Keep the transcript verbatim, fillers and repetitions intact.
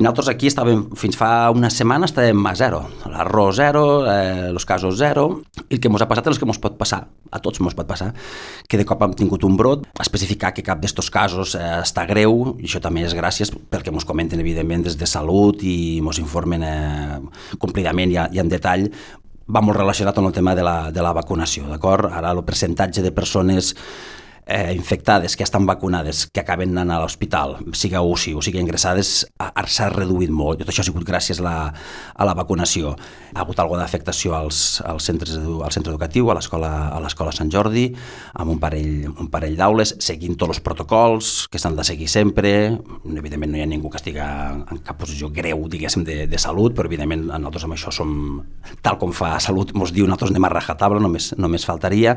Nosaltres aquí estàvem, fins fa una setmana estàvem a zero, l'arròs zero, eh, els casos zero, i el que ens ha passat és el que ens pot passar, a tots ens pot passar, que de cop hem tingut un brot, especificar que cap d'estos casos eh, està greu, i això també és gràcies perquè ens comenten evidentment des de Salut i ens informen eh, complidament i, i en detall. Va molt relacionat amb el tema de la, de la vacunació, d'acord? Ara el percentatge de persones eh, infectades que estan vacunades, que acaben anant a l'hospital, siga U C I o sigui ingressades, s'ha reduït molt. Tot això ha sigut gràcies a la, a la vacunació. Ha hagut alguna d'afectació als, als centres edu, al centre educatiu, a l'escola a l'escola Sant Jordi, amb un parell, un parell d'aules, seguint tots els protocols que s'han de seguir sempre. Evidentment no hi ha ningú que estigui en cap posició greu, diguéssim, de, de salut, però evidentment nosaltres amb això som, tal com fa Salut, ens diu, nosaltres anem a rajatabla, només, només faltaria.